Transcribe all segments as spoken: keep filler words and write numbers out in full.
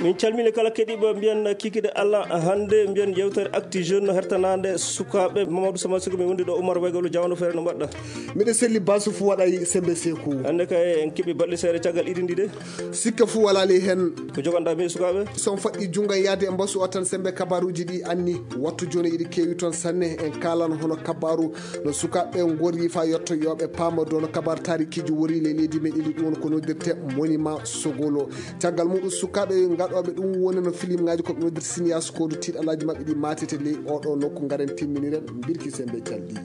Min calmini kala keɗiiɓe, mbiyan kikiɗe Allah. Hannde mbiyan yewtere Actu Jeune hertanaande sukaaɓe. Mamadou Sama Siko, mi wondi ɗo Oumar Weygolo, jawno feere, no mbaɗɗa? Miɗo selli, basu fu waɗay, sembe seku. Hannde kay en keɓi balɗe seeɗa caggal iɗi ndi de. Sikke fu walaa ley hen. Ko joganɗaa min sukaaɓe? Son faɗɗi junngo yaade e mbasu o tan, sembe kabaruuji ɗi anni. Wattu jooni iɗi keewi toon sanne. En kaalan hono kabaru no sukaaɓe ngorri faa yotto yo ɓe paama dow no kabaar taarikiiji wori ley leydi meɗen ndi, ɗum woni ko noddirte monument Sogolo. Caggal muɗum, sukaaɓe gaɗooɓe ɗum woni no filimŋaaji, ko ɓe noddirta cinéaste, ko ɗo tiiɗalaaji maɓɓe ɗi maatete ley oɗo nokku. Ngaren timminiren mbirki sembe calɗi.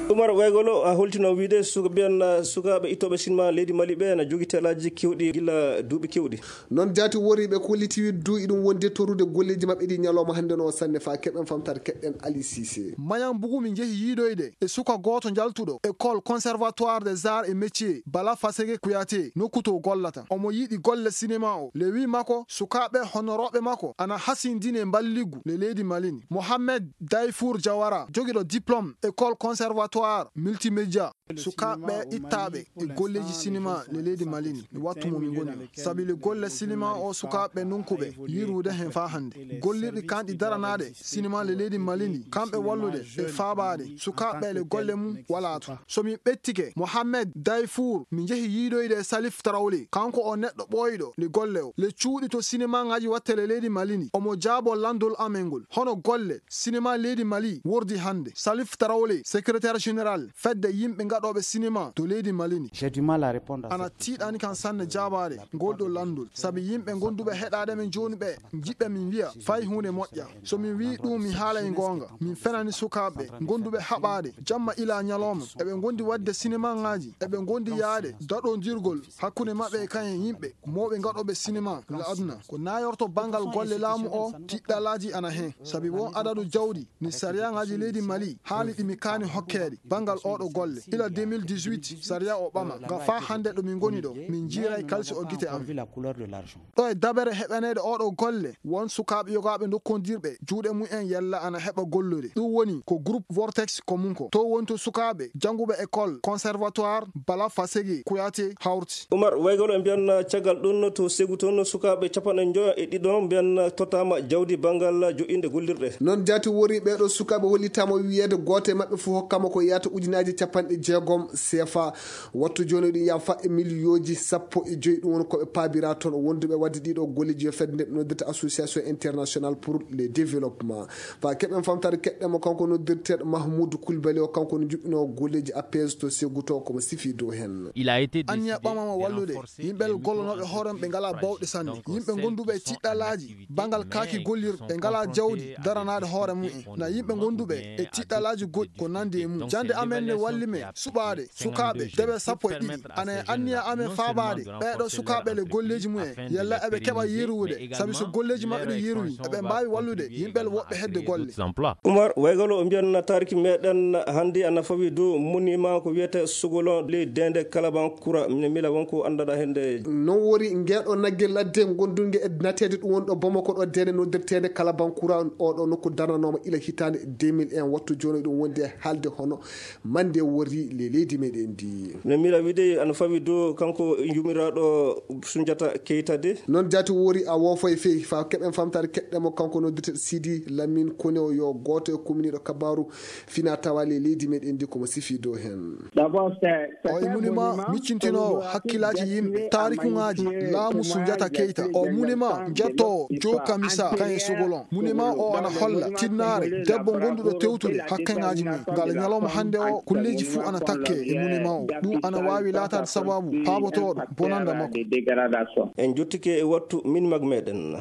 Oumar Weygolo, a holtino wiide suka-, mbiyan, uh, sukaaɓe ittooɓe sinema leydi Mali ɓe na jogi telaaji kewɗi gila duuɓi kewɗi. Noon jaati woriiɓe kolliti wiide du iɗum wondi e torude golleeji maɓɓe ɗi ñalawma hannde no sanne. Faa keɓen famtaade, keɗɗen Ali Cissé. Mayan Bugu min njehi yiidoyde e suka gooto njaltuɗo école Conservatoire des Arts et Métiers, Bala Fasege Kouyaté, nokku to gollata. Omo yiɗi golle sinema o. Le wi makko, sukaaɓe honorooɓe makko ana hasindini e mballigu le leydi Mali ndi. Mohamed Dayfour Diawara, jogiɗo diplôme école Conservatoire Multimédia. Sukaaɓe ittaaɓe e golleeji sinema le leydi Mali ndi, wattu mo min ngoni o. Sabi le golle sinema o sukaaɓe nunkuɓe yiirude hen faa hannde. Gollirɗi kanɗi daranaaɗe sinema le leydi Mali ndi, kamɓe wallude e faabaade sukaaɓe le golle mum walaa to. So min ɓettike Mohamed Dayfour, min njehi yiidoyde e Salif Tarawle. Kanko o neɗɗo ɓooyɗo le golle o. Le cuuɗi to sinemaŋaaji watte le leydi Mali ndi. Omo jaabo lanndol amen ngol. Hono golle sinema leydi Mali wordi hannde. Salif Tarawle, secrétaire général fedde yimɓe gaɗooɓe sinema to leydi Mali ndi. J'ai du mal à répondre à ana cette tiiɗani kan sanne jaabaade ngol ɗo lanndol. Sabi yimɓe gonduɓe heɗaade men jooni ɓe njiɗɓe min wiya fay huunde moƴƴa. So min wii ɗum, mi haalay goonga. Min fenani sukaaɓe gonduɓe haɓaade jamma ila ñalawma. Eɓe ngondi waɗde sinemaŋaaji. Eɓe ngondi yaade daɗondirgol hakkunde maɓɓe e kayen yimɓe mawɓe gaɗooɓe sinema la aduna. Ko nayorto banngal golle laamu o, tiɗɗalaaji ana hen. Sabi won adadu jawdi ni sariyaŋaaji leydi Mali haali ɗi mi kaani hokkeede banngal oɗo golle. Ila deux mille dix-huit, sariya o ɓama. Nga faa hannde ɗo min ngoni ɗo, min njiiray kalsi o gite am. Ɗo e dabere heɓaneede oɗo golle, won sukaaɓe yogaaɓe ndokkondirɓe juuɗe mumen yalla ana heɓa gollude. Ɗum woni ko groupe Vortex ko mum ko. To woni to sukaaɓe jannguɓe école conservatoire Bala Fasege Kouyaté hawti. Oumar Weygolo, e mbiyan caggal ɗum to Ségou toon, sukaaɓe capanɗe njoyo e ɗiɗo mbiyan tottaama jawdi banngal joƴƴinde gollirɗe. Noon jaati wori ɓeeɗo sukaaɓe hollitaama wiyeede gooto e maɓɓe fof hokkama ko yahata ujunaaji capanɗe jeegom C F A. Wattu jooni ɗum yaha fa e miliyooji sappo e joy, ɗum woni ko ɓe paabira toon wonduɓe waɗde ɗiɗo golleeji yo fedde nde ɓe noddirta Association Internationale pour le Développement. Fa keɓen famtaade keɗɗen mo kanko noddirteeɗo Mahmoud Koulibaly o, kanko no juɓɓinoo golleeji A P S to Ségou to, komo sifi dow heen. Il a été décidé de renforcer les micro-sociétés. Yimɓe gollonooɓe hoore ɓe ngalaa bawɗe sanne. Donc, yimɓe gonduɓe e tiɗɗalaaji banngal kaaki gollirɗe ɓe ngalaa jawdi daranaade hoore mumen. Na yimɓe gonduɓe e tiɗɗalaaji goɗɗi ko nandi e mum. Jannde amen ne walli men suɓaade sukaaɓe debe sappo e ɗiɗi. Ana e anniya amen faabaade ɓeeɗo sukaaɓe le golleeji mumen. Yalla eɓe keɓa yeeruwude, sabi so golleeji maɓɓe ɗi yeeruwi, eɓe mbaawi wallude yimɓe le woɓɓe hedde golle. Oumar Weygolo, o mbiyan taariki meɗen hannde ana fawi dow monument ko wiyete Sogolon ley deende Kalaban Kura. Mine mila won ko anndaɗa hende. Noon wori ngeeɗo nagge ladde gondunge e nateede ɗum woni ɗo Bamako ɗo deende noddirteende Kalaban Kura, oɗo nokku darnanooma ila hitaande deux mille un, wattu jooni ɗum wondi e haalde hono mande wori le leydi meɗen ndi. No mila wiide ana fawi dow kanko yumiraaɗo Sunjata Keita de. Noon jaati wori a woofo e fey fa keɓen famtaade keɗɗe mo kanko noddirte Sidi Lamine Kone o yo gooto e kuminiiɗo kabaaru fina tawa le leydi meɗen ndi komo sifi dow heen. O e munima miccintinoowo hakkilaaji yimɓe, taarikuŋaaji laamu Sunjata Keita. O munima jettoowo Joe Kamisa kan e Sogolon. Munima o ana holla tinnaare debbo gonduɗo tewtude hakkeŋaaji mum. Ngal ñalawma hannde o, kulleeji fuu ana takke e munima o. Ɗum ana waawi laataade sababu paabotooɗo bonanda makko. En jottike e wattu min mag meɗen.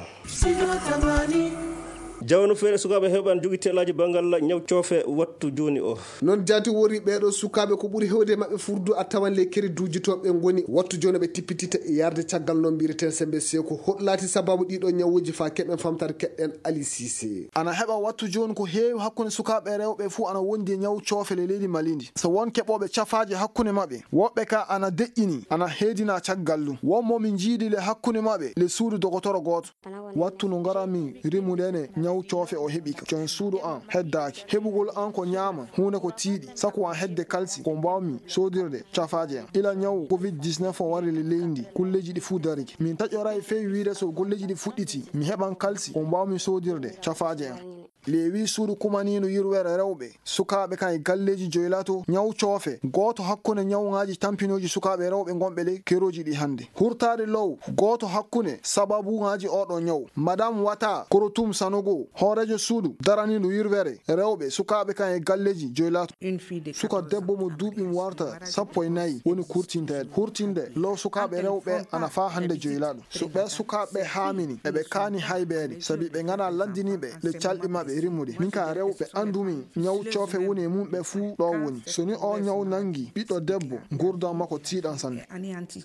Jawno feere sukaaɓe heɓan jogi telaaji banngal ñaw coofe wattu jooni o. Noon jaati wori ɓeeɗo sukaaɓe ko ɓuri hewde maɓɓe furdu a tawan le kere duujitooɓe ngoni wattu jooni ɓe tippitita yarde caggal no mbiyeten sembe seeko. Hoɗ laati sababu ɗiɗo ñawuuji fa keɓen famtaade keɗɗen Ali Cissé. Ana heɓa wattu jooni ko heewi hakkunde sukaaɓe rewɓe fuu ana wondi e ñaw coofe le leydi Mali ndi. So won keɓooɓe cafaaji hakkunde maɓɓe, woɓɓe ka ana deƴƴini, ana heedina caggal ɗum. Won mo min njiidi le hakkunde maɓɓe le suudu dogotoro gooto. Wattu no ngaran min rimude ne Ñaw coofe o heɓi ka. Con suudu an heddaaki. Heɓugol an ko ñaama, huunde ko tiiɗi, saku an hedde kalsi, ko mbaawmi soodirde cafaaje an. Ila ñaw covid dix-neuf o wari le leydi, kulleeji ɗi fuu darike. Min taƴoray fey wiide so golleeji ɗi fuɗɗiti, mi heɓan kalsi, ko mbaawmi soodirde cafaaje an. Leewi suudu kumaniindu yirwere rewɓe, sukaaɓe kan e galleeji joylato, ñaw coofe, gooto hakkunde ñawŋaaji tampinooji sukaaɓe rewɓe ngonɓe ley kerooji ɗi hannde. Hurtaade low, gooto hakkunde sababuŋaaji oɗo ñaw. Madame Wata Korotum Sanogo, hooreejo suudu daraniiɗo yirwere rewɓe, sukaaɓe kan e galleeji joylato. Suka debbo mo duuɓi mum warta sappo e nayi woni kurtinteeɗo. Hurtinde low sukaaɓe rewɓe ana faa hannde joylaɗo. So ɓee sukaaɓe haamini, eɓe kaani haybeede, sabi ɓe ŋanaa lanndiniiɓe le calɗi maɓɓe rimmude. Min ka rewɓe anndumi ñaw coofe woni e mum ɓe fuu ɗo woni. So ni o ñaw nanngi ɓiɗɗo debbo, nguurndam makko tiiɗan sanne.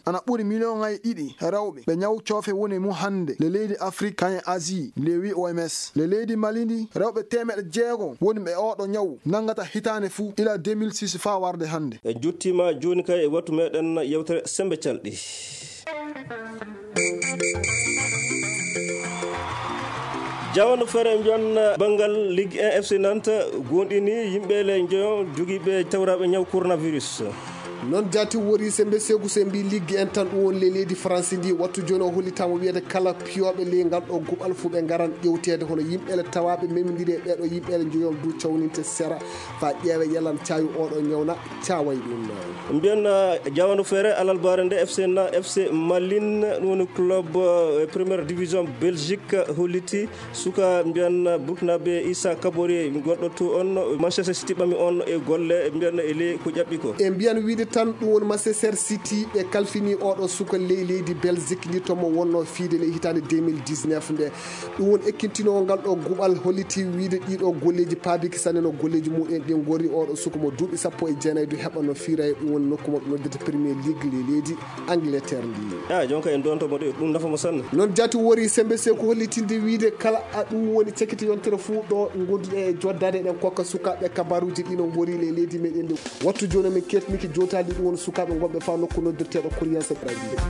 Ana ɓuri miliyoŋaaji ɗiɗi rewɓe ɓe ñaw coofe woni e mum hannde le leydi Afrik, kañum e Asie, leewi O M S. Le leydi Mali ndi, rewɓe teemeɗɗe jeego woni ɓe oɗo ñaw nanngata hitaande fuu, ila deux mille six faa warde hannde. En jottiima jooni kay e wattu meɗen yewtere Sembe Calɗi. Jawano feere mbiyan banngal Ligue un F C Nantes goonɗini yimɓe le njoyo jogiiɓe tawraaɓe ñaw coronavirus. Noon jaati wori Sembe Seeku, se mbi Ligue un tan ɗum woni le leydi France ndi, wattu jooni o hollitaama wiyede kala piyooɓe ley ngal ɗo guɓal fuu ɓe ngaran ƴewteede hono yimɓe le tawaaɓe memindiri e ɓeeɗo yimɓe le njoyon du cawninte sera faa ƴeewe yalan caayu oɗo ñawna caaway ɗum. Mbiyan, ah, jawandu feere alalbaare nde F C na, F C Malin, ɗum woni club, eh, première division Belgique, holliti suka mbiyan Burkinabé Issa Kabore gonɗo to on, Manchester City ɓami on e golle mbiyan e ley ko ƴaɓɓi ko. E mbiyan wiide tan ɗum woni Manchester City ɓe kalfini oɗo suka ley leydi Belgique ndi to mo wonno fiide ley hitaande deux mille dix-neuf nde. Ɗum woni ekkintinoowo ngal ɗo guɓal holliti wiide ɗiɗo golleeji paabiki sanne no golleeji muɗum ɗin ngori oɗo suka mo duuɓi sappo e jeenayi du heɓa no fiira e ɗum woni nokku mo ɓe noddirta Premier League ley leydi Angleterre ndi. Ah, jonka en donto mo de, ɗum nafa mo sanne. Noon jaati wori Sembe Seeku hollitinde wiide kala a ɗum woni cekite yontere fuu ɗo gonduɗe e joddaade eɗen kokka sukaaɓe kabaruuji ɗi no ngori ley leydi meɗen ndi. Wattu jooni min ketniki jootaali ɗum woni sukaaɓe ngonɓe faa nokku noddirteeɗo Koriyanse Brazzaville.